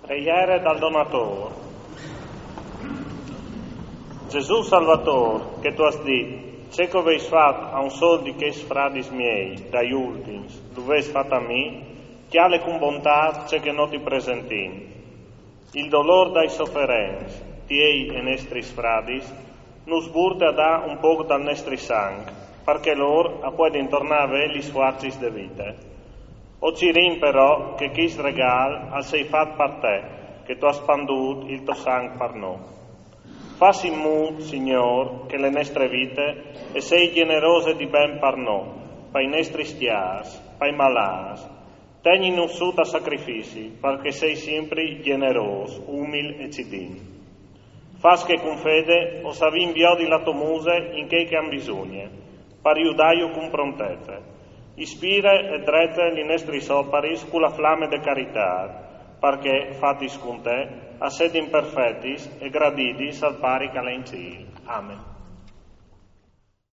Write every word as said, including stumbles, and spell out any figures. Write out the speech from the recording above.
Preiere dal Donator. Gesù Salvator, che tu âs dit: Ce che o vês fat a un sôl di chescj fradis miei, dai ultins, lu vês fat a mi, cjale cun bontât ce che nô ti presentìn. Il dolôr dai soferents, tiei e nestris fradis, nus burte a dâ un pôc dal nestri sanc, par che lôr a puedin tornâ a vê lis fuarcis de vite. O cirìn però che chest regâl al sei fat par te, che tu âs spandût il to sanc par nô. Fâs in mût, Signôr, che le nestre vite e sei gjenerose di ben par nô, pai nestris cjârs, pai malâts. Tegnitnus sù tal sacrifici, par che sei simpri gjenerôs, umil e cidin. Fâs che cun fede o savìn viodi la tô muse in chei che a àn bisugne, par judâju cun prontece. Ispire e drete li nestris oparis cu la flame de caritât, par che, fatis cun te, a sedin perfetis e gradidis al Pari che al è in cîl. Amen.